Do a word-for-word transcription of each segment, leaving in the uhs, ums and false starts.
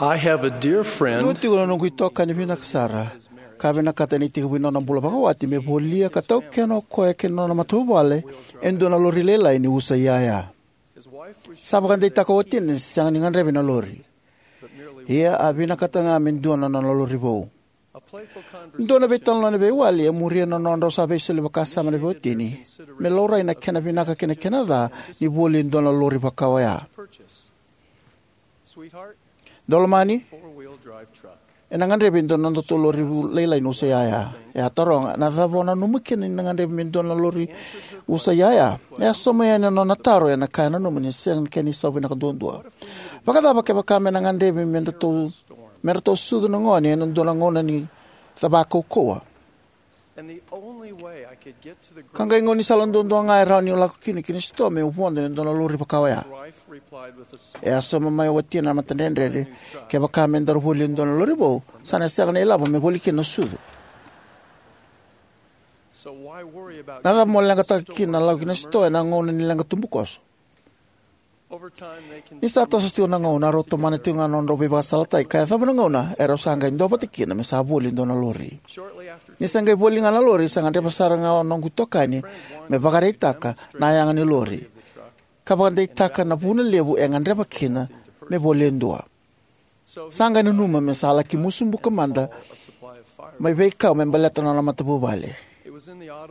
I have a dear friend. Dua tiko na noqu itokani vinaka sara, ka vinakata ni tekivu na nona bula vakawati me volia ka taukena o koya kei na nona matavuvale e dua na lori lailai ni usa iyaya. Sa vakadeitaka o watina ni sega ni gadrevi na lori, ia a vinakata ga me dua na nona lori vou. Dua na veitalanoa ni veiwali e muria na nodrau sa veisoli vakasama na veiwatini me laurai na kena vinaka kei na kena ca ni voli e dua na lori vaka oya. Daulomani, ena gadrevi e dua na nodatou lori lailai ni usa iyaya. E a taroga, na cava o nanuma kina ni na gadrevi me dua na lori usa iyaya? E a sauma yani na nona taro ena ka e nanuma ni sega ni kena isau vinaka duadua. Vakacava kevaka me na gadrevi me datou, me ratou sucu na gone ena dua na gauna ni cava kaukauwa? Ka qai gaunisala duadua ga e rawa ni lako kina ki na sitoa meu vodo ena dua na lori vaka oya. E a sauma mai o watina na matadredredre, kevaka me daru voli e dua na lori vou, sa na sega na ilavo me voli kina na sucu. Na cava mo leqataka kina na lako ki na sitoa ena gauna ni leqa tubukoso? Ni sa toso tiko na gauna, rau tomana tiko ga na nodrau veivakasalataki ka yacova na gauna erau sa qai duavata kina me sa voli e dua na lori. Ni sa qai voli ga na lori, sa gadreva sara ga o noqu itokani me vakaraitaka na yaga ni lori ka vakadeitaka na vuna levu e gadreva kina me voli e dua. Sa qai nanuma me sa laki musu buka mada mai veikau me baleta na nona matavuvale.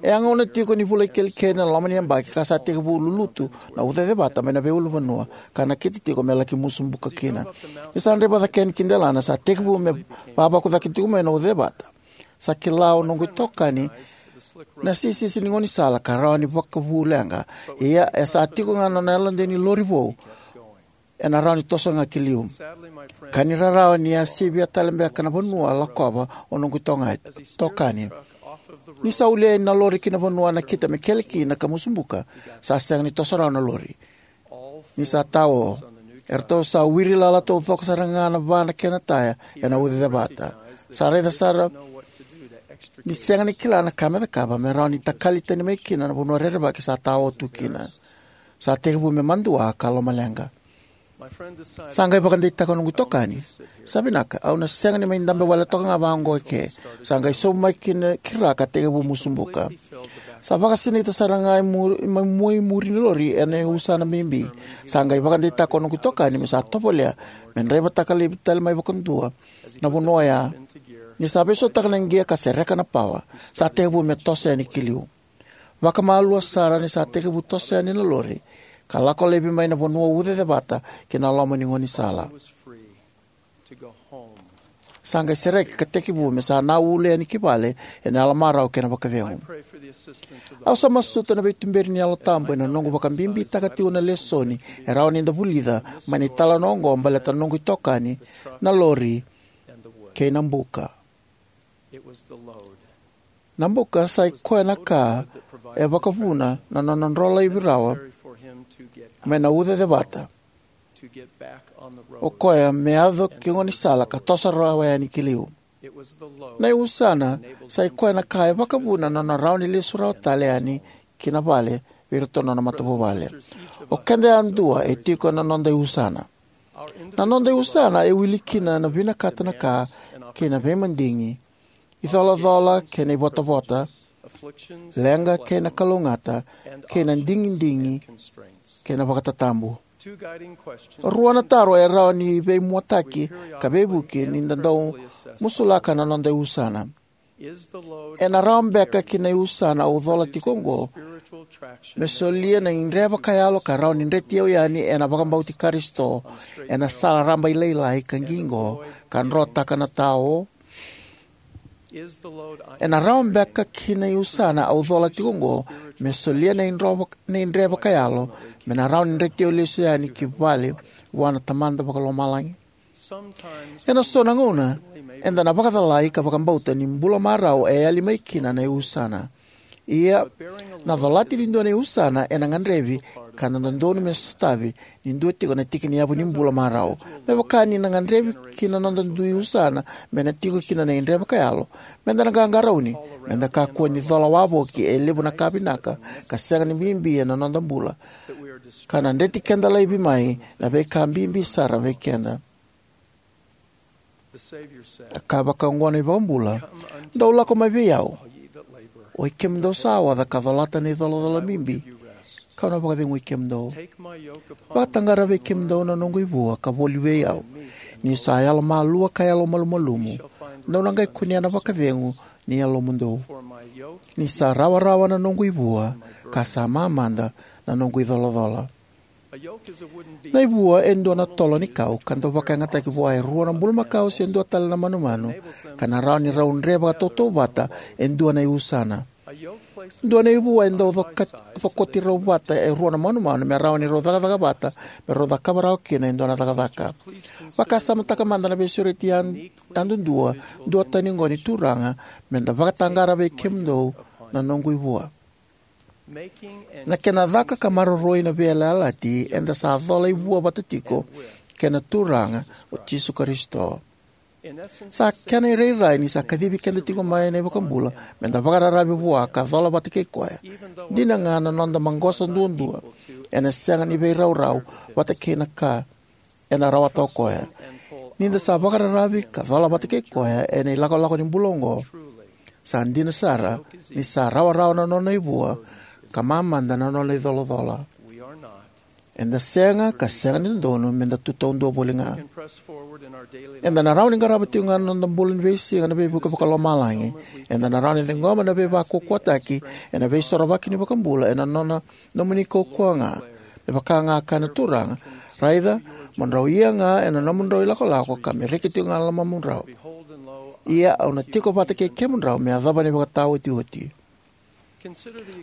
E a gauna tiko ni vula ikelikeli na loma ni yabaki ka sa tekivu lulutu na ucacevata mai na veiulunivanua ka nakiti tiko me laki musu buka kina. Ni sa draiva cake yani ki delana, sa tekivu me vavaku cake tiko mai na ucacevata. Sa kila o noqu itokani na sisisi ni gaunisala ka rawa ni vakavu leqa, ia e sa tiko ga na nona yalodei ni lori vou, ena rawa ni toso ga ki liu. Ka ni rarawa ni a sivia tale beka na vanua lakova o noqu itoga-, itokani. Ni sa ulia na lori ki na vanua a nakita me kele kina ka musu buka, sa sega ni toso rawa na lori. Ni sa tao, eratou sa wiri lala taucoko sara ga na va na kena taya ena ucacevata. Sa raica sara ni sega ni kila na ka me cakava me rawa ni takali tani mai kina na vanua rerevaki sa tao tu kina. Sa tekivu me madua ka lomaleqa. Sa qai vakadeitaka o noqu itokani, "Sa vinaka, au na sega ni mai dabe wale toka ga vaqo eke." Sa qai sobu mai kina ki ra ka tekivu musu buka. Sa vakasinaita sara ga e muri, mai mua i muri ni lori ena iusana bibi. Sa qai vakadeitaka o noqu itokani me sa tovolea me draivataka laivi tale mai vakadua na vanua oya. Ni sa veisautaka na qia ka sereka na pawa, sa tekivu me toso yani ki liu. Vakamalua sara ni sa tekivu toso yani na lori ka lako laivi mai na vanua ucacevata ki na loma ni gaunisala. Sa qai sereki ka tekivu me sa na ule yani ki vale ena yalomarau kei na vakacegu. Au sa masuta na veituberi ni Yalo Tabu ena noqu vakabibitaka tiko na lesoni e rawa ni da vulica mai na italanoa oqo baleta na noqu itokani, na lori, kei na buka. Na buka sa i koya na ka e vakavuna na nona dro laivi rawa mai na ucacevata, o koya me yaco ki gaunisala ka toso rawa yani ki liu. Na iusana sa i koya na ka e vakavuna na nona rawa ni lesu rawa tale yani ki na vale vei iratou na nona matavuvale. O keda yadua e tiko ena noda iusana. Na noda iusana e wili kina na vinakata na ka kei na veimadigi, icolacola kei na ivotavota, leqa kei na kalougata, kei na digidigi kei na vakatatabu. Rua na taro e rawa ni veimuataki ka veivuke ni da dau musulaka na noda iusana. Ena rawa beka ki na iusana au cola tiko oqo me solia na idre vakayalo ka rawa ni dreti au yani ena vakabauti Karisito ena sala rabailailai ka qiqo ka drotaka na tao? Ena rawa beka ki na iusana au cola tiko oqo me solia na idro vak-, na idre vakayalo me na rawa ni dreti au lesu yani ki vale vua na Tamada Vakalomalagi? Ena so na gauna eda na vakacalai ka vakabauta ni bula marau e yali mai kina na iusana. Ia, na colati ni dua na iusana ena gadrevi ka na dodonu me sotavi ni dua tiko na tiki ni yavu ni bula marau. Me vaka ni na gadrevi ki na noda dui usana me na tiko kina na idre vakayalo, meda na qaqarauni meda kakua ni cola wavoki e levu na ka vinaka ka sega ni bibi ena noda bula, ka na dreti keda laivi mai na veika bibi sara vei keda. A kaya vakaoqo na iVakabula: "Dou lako mai vei au, oi kemudou sa oca ka colata na icolacola bibi, ka'u na vakacegui kemudou. Vakataqara vei kemudou na noqu ivua ka vuli vei au, ni'u sa yalomalua ka yalomalumalumu. Dou na qai kunea na vakacegu ni yalomudou. Ni sa rawarawa na noqu ivua, ka sa mamada na noqu icolacola." Na ivua e dua na tolo ni kau ka dau vakayagataki vua e rua na bulumakau se dua tale na manumanu, ka na rawa ni rau dre vakatautauvata e dua na iusana. Dua na ivua e dau coka-, cokoti rau vata e rua na manumanu me rawa ni rau cakacaka vata, me rau cakava rawa kina e dua na cakacaka. Vakasamataka mada na veisureti yad-, yadudua duatani oqo ni Turaga: "Me da vakataqara vei kemudou na noqu ivua." Na kena caka ka maroroi na veiyalayalati, eda sa cola ivua vata tiko kei na Turaga o Jisu Karisito. Sa kena irairai ni sa kacivi keda tiko mai na iVakabula me da vakararavi vua ka cola vata kei koya. Dina ga na noda maqosa duadua, ena sega ni veiraurau vata kei na ka ena rawata o koya. Ni da sa vakararavi ka cola vata kei koya ena ilakolako ni bula oqo, sa dina sara ni sa rawarawa na nona ivua ka mamada na nona icolacola. Eda sega, ka sega ni dodonu me da tu taudua voli ga. Eda na rawa ni qarava tiko ga na noda bula ni veisiga na veivuke vakalomalagi. Eda na rawa ni ciqoma na veivakaukauwataki ena Veisorovaki ni iVakabula ena nona nomuni kaukauwa ga. Me vaka ga a kaya na Turaga: "Raica, mo drau ia ga ena nomudrau ilakolako, ka me reki tiko ga na lomamudrau. Ia au na tiko vata kei kemudrau me yacova na ivakataotioti."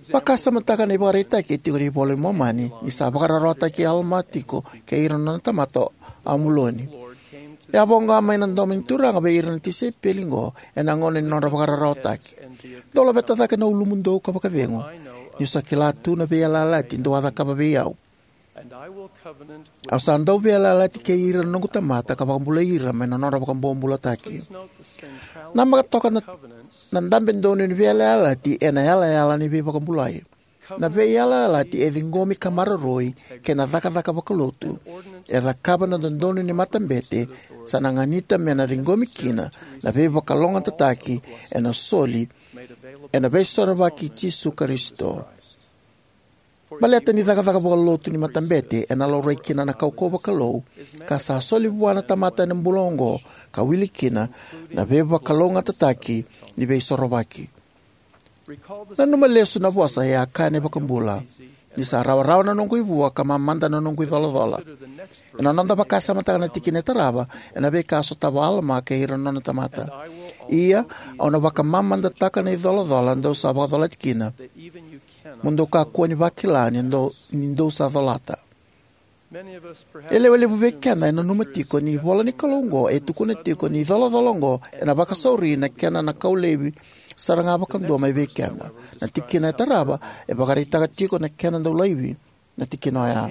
Vakasamataka na ivakaraitaki e tiko ena iVola i Momani, ni sa vakararawataki Alama tiko kei ira na nona tamata o Amuloni. E a voqa mai na domo ni Turaga vei ira na tisaipeli oqo ena gauna ni nodra vakararawataki: "Dou laveta cake na ulumudou ka vakacegu, ni'u sa kila tu na veiyalayalati dou a cakava vei au. Au sa dau veiyalayalati kei ira na noqu tamata ka vakabulai ira mai na nodra vakabobulataki." Namaka toka na, na dabe donu ni veiyalayalati ena yalayala ni veivakabulai. Na veiyalayalati e ciqomi ka maroroi kei na cakacaka vakalotu e cakava na dodonu ni matabete, sa na ganita me na ciqomi kina na veivakalougatataki ena soli ena Veisorovaki i Jisu Karisito. Baleta ni cakacaka vakalotu ni matabete ena laurai kina na kaukauwa vakalou ka sa soli vua na tamata ena bula oqo, ka wili kina na veivakalougatataki ni Veisorovaki. Nanuma lesu na vosa e a kaya na iVakabula: "Ni sa rawarawa na noqu ivua ka mamada na noqu icolacola." Ena noda vakasamataka na tikina e tarava ena veika a sotava o Alama kei ira na nona tamata: "Ia, au na vakamamadataka na icolacola dou sa vakacolati kina, mo dou kakua ni vakila ni dou, ni dou sa colata." E lewe levu vei keda e nanuma tiko ni ivola ni Kalou oqo e tukuna tiko ni icolacola oqo ena vakasauri na kena na kau laivi sara ga vakadua mai vei keda. Na tikina e tarava e vakaraitaka tiko na kena dau laivi na tikina oya.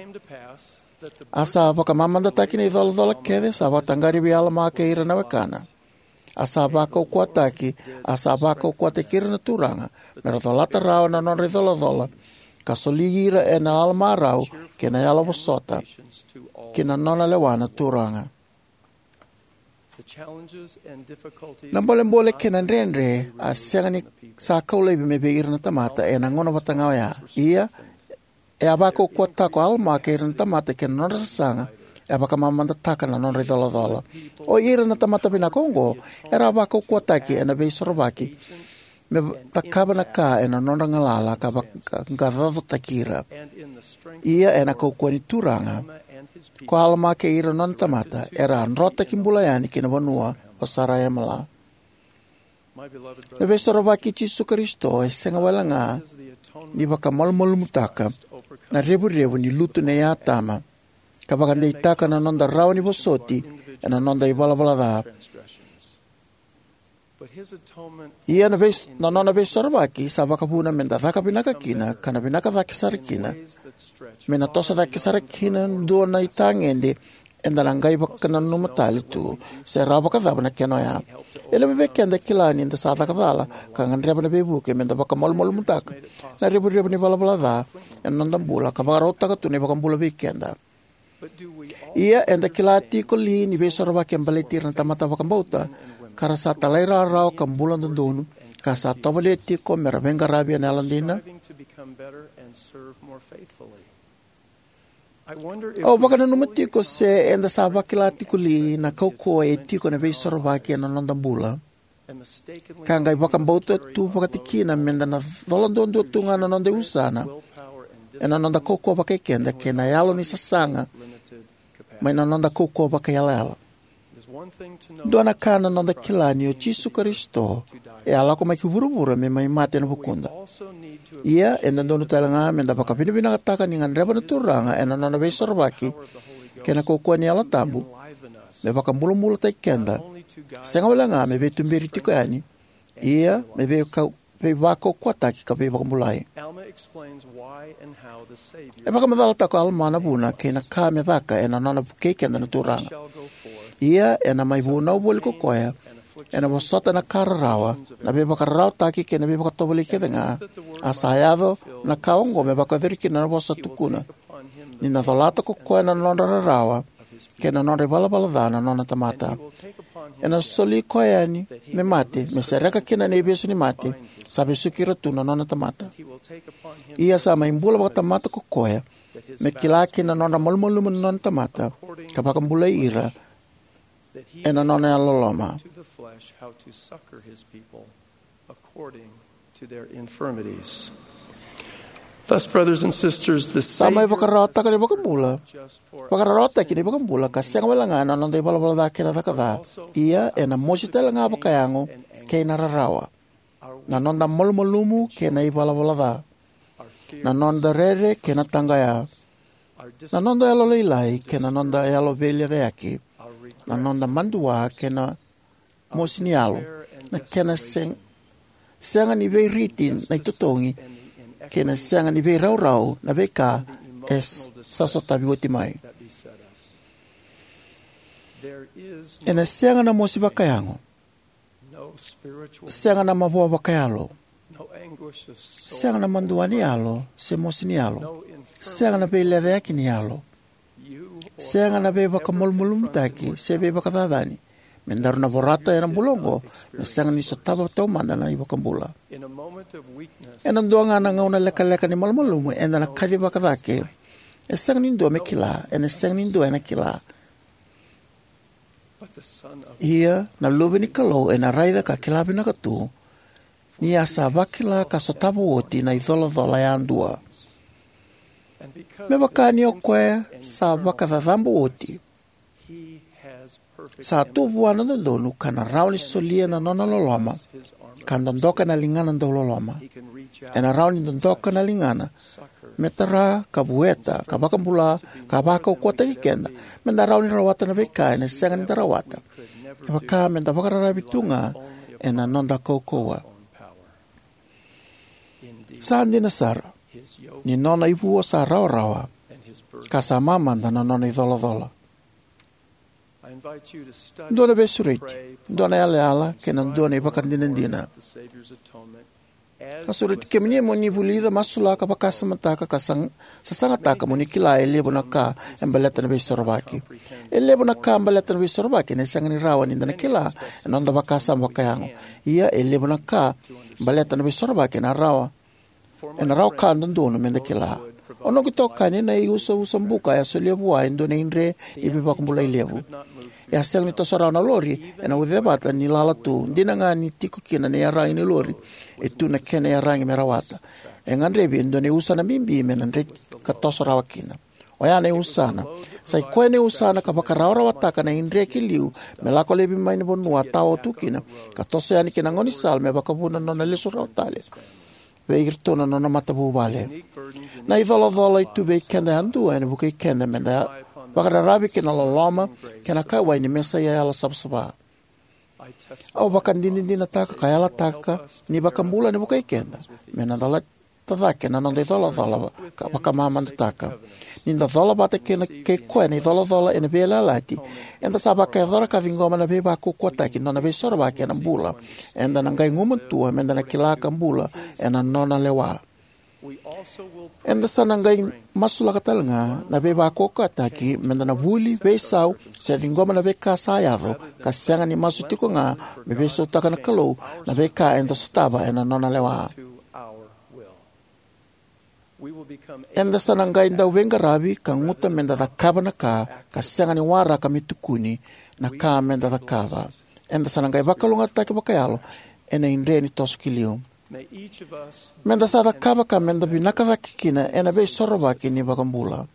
A sa vakamamadataki na icolacola kece sa vakataqari vei Alama kei ira na wekana. A sa vakaukauwataki, a sa vakaukauwataki ira na Turaga me ra colata rawa na nodra icolacola, ka soli ira ena yalomarau kei na yalovosota ki na nona lewa na Turaga. Na bolebole kei na dredre a sega ni sa kau laivi mai vei ira na tamata ena gauna vata ga oya. Ia, e a vakaukauwataka o Alama kei ira na tamata kei na nodra sasaga, e a vakamamadataka na nodra icolacola. O ira na tamata vinaka oqo era a vakaukauwataki ena Veisorovaki me cakava na ka ena nodra galala ka vakaqaqacotaki ira. Ia ena kaukauwa ni Turaga, ko Alama kei ira na nona tamata era a drotaki bula yani ki na vanua o Saraemala. Na Veisorovaki i Jisu Karisito e sega wale ga ni vakamalumalumutaka na revurevu ni lutu nei Atama, ka vakadeitaka na noda rawa ni vosoti ena noda ivalavala ca. Ia na vei, na nona Veisorovaki sa vakavuna me da caka vinaka kina, ka na vinaka cake sara kina, me na toso cake sara kina dua na itagede eda na qai vakananuma tale tu se rawa vakacava na kena oya. E levu vei keda e kila ni da sa caka cala ka gadreva na veivuke me da vakamalumalumutaka na revurevu ni valavala ca ena noda bula ka vakarautaka tu na iVakabula vei keda. Ia eda kila tiko li ni veisorovaki e baleti ira na tamata vakabauta, ka ra sa talairawarawa ka bula dodonu, ka sa tovolea tiko me ra veiqaravi ena yalodina? Au vakananuma tiko se eda sa vakila tiko li na kaukauwa e tiko ena veisorovaki ena noda bula, ka qai vakabauta tu vakatikina meda na cola duadua tu ga na noda iusana ena noda kaukauwa vakai keda kei na yalo ni sasaga mai na noda kaukauwa vakaiyalayala. Dua na ka na noda kila ni o Jisu Karisito e a lako mai ki vuravura me mai mate ena vukuda. Ia e dodonu tale ga meda vakavinavinakataka ni gadreva na Turaga ena nona veisorovaki kei na kaukauwa ni Yalo Tabu me vakabulabulataki keda, sega wale ga me veituberi tiko yani, ia me veika- veivakaukauwataki ka veivakabulai. E vakamacalataka o Alama na vuna kei na ka me caka ena nona vukei keda na Turaga. Ia ena mai vunau voli ko koya, ena vosota na ka rarawa, na veivakararawataki kei na veivakatovolei kece ga, a sa yaco na ka oqo me vakayacori kina na vosa tukuna, ni na colata ko koya na nodra rarawa kei na nodra ivalavala ca na nona tamata. Ena soli koya yani me mate, me sereka kina na ivesu ni mate sa vesuki ira tu na nona tamata. Ia sa mai bula vakatamata ko koya, me kila kina na nodra malumalumu na nona tamata, ka vakabulai ira ena nona yalololoma. To the flesh how to succor his people according to their infirmities. Thus, brothers and sisters, the Sa mai Savior vakararawataka na ivakabula, vakararawataki na ivakabula ka sega wale ga na noda ivalavala ca kei na caka ca. Ia ena mosi tale ga vakayago kei na rarawa, na noda malumalumu kei na ivalavala ca, na noda rere kei na taqaya, na noda yalolailai kei na noda yalo veilecayaki, na noda madua kei na mosi ni yalo, na kena seg- sega ni veiriti na itotogi, kei na sega ni veiraurau na veika e s- sa sotavi oti mai. Ena sega na mosi vakayago, sega na mavoa vakayalo, sega na madua ni yalo se mosi ni yalo, sega na veilecayaki ni yalo, sega na veivakamalumalumutaki se veivakacacani me daru na vorata ena bula oqo me sega ni sotava taumada na iVakabula. Ena dua ga na gauna lekaleka ni malumalumu eda na kacivaka cake, e sega ni dua me kila, ena sega ni dua ena kila. Ia na Luve ni Kalou ena raica ka kila vinaka tu, ni a sa vakila ka sotava oti na icolacola yadua. Me vaka ni o koya sa vakacacabo oti, sa tu vua na dodonu ka na rawa ni solia na nona loloma, ka dodoka na ligana dauloloma. Ena rawa ni dodoka na ligana me tara, ka vueta, ka vakabula, ka vakaukauwataki keda, me da rawa ni rawata na veika ena sega ni da rawata, e vaka me da vakararavi tu ga ena noda kaukauwa. Sa dina sara, ni nona ivua sa rawarawa, ka sa mamada na nona icolacola. Dua na veisureti, dua na yalayala, kei na dua na ivakadinadina. A sureti kemuni mo ni vulica, masulaka, vakasamataka, ka sag- sasagataka mo ni kila e levu na ka e baleta na veisorovaki. E levu na ka baleta na veisorovaki ena sega ni rawa ni da na kila ena noda vakasama vakayago. Ia e levu na ka baleta na veisorovaki ena rawa ena rawa ka dodonu me da kila. O noqu itokani na iusausa buka e a solia vua e dua na idre ni veivakabulai levu. E a sega ni toso rawa na lori ena ucacevata ni lala tu, dina ga ni tiko kina na iyaragi ni lori e tu na kena iyaragi me rawata. E gadrevi e dua na iusana bibi me na dreti ka toso rawa kina. Oya na iusana. Sa i koya na iusana ka vakarawarawataka na idre ki liu me lako laivi mai na vanua a tawa tu kina, ka toso yani ki na gaunisala me vakavuna na nona lesu rawa tale vei iratou na nona matavuvale. Na icolacola e tu vei keda yadua ena vukei keda me da vakararavi ki na loloma kei na kauwai ni Mesaia yalosavasava. Au vakadinadinataka ka yalataka ni iVakabula ena vukei keda me na da lata cake na noda icolacola ka vakamamadataka. Ni da cola vata kei na, kei koya na icolacola ena veiyalayalati, eda sa vakayacora ka ciqoma na veivakaukauwataki ni nona veisorovaki ena bula. Eda na qai gumatua me da na kila ka bula ena nona lewa. Eda sa na qai masulaka talega na veivakaukauwataki meda na vuli, veisau, se ciqoma na veika sa yaco, ka sega ni masu tiko ga me veisautaka na Kalou na veika eda sotava ena nona lewa. Eda sa na qai dauveiqaravi ka guta meda cakava na ka, ka sega ni waraka me tukuni na ka meda cakava. Eda sa na qai vakalougatataki vakayalo ena idre ni toso ki liu. Meda sa cakava ka meda vinaka cake kina ena Veisorovaki ni iVakabula.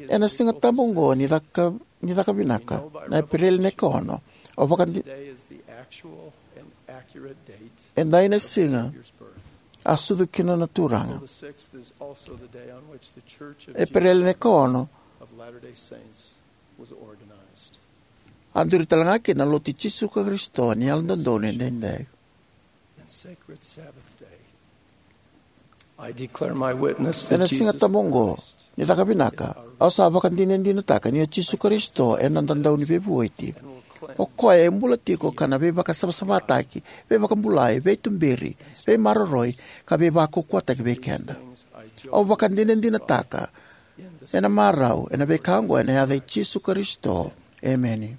Ena Siga Tabu oqo ni caka, ni caka vinaka, na Epereli na ikaono, au vakadi- Today is the actual and accurate date edai na siga a sucu kina na Turaga. The sixth is also the day on which the Church of Epereli na ikaono, of Latter-day Saints was organized. A duri talega kina na Lotu i Jisu Karisito ni Yalododonu Edaidai. And sacred Sabbath day, I declare my witness that Ena Siga Jesus Tabu oqo Christ ni caka vinaka, au sa vakadinadinataka ni o Jisu Karisito e noda Dauniveivueti. O koya e bula tiko ka na veivakasavasavataki, veivakabulai, veituberi, veimaroroi, ka veivakaukauwataki vei keda. Au vakadinadinataka ena marau ena veika oqo ena yaca i Jisu Karisito. Emeni.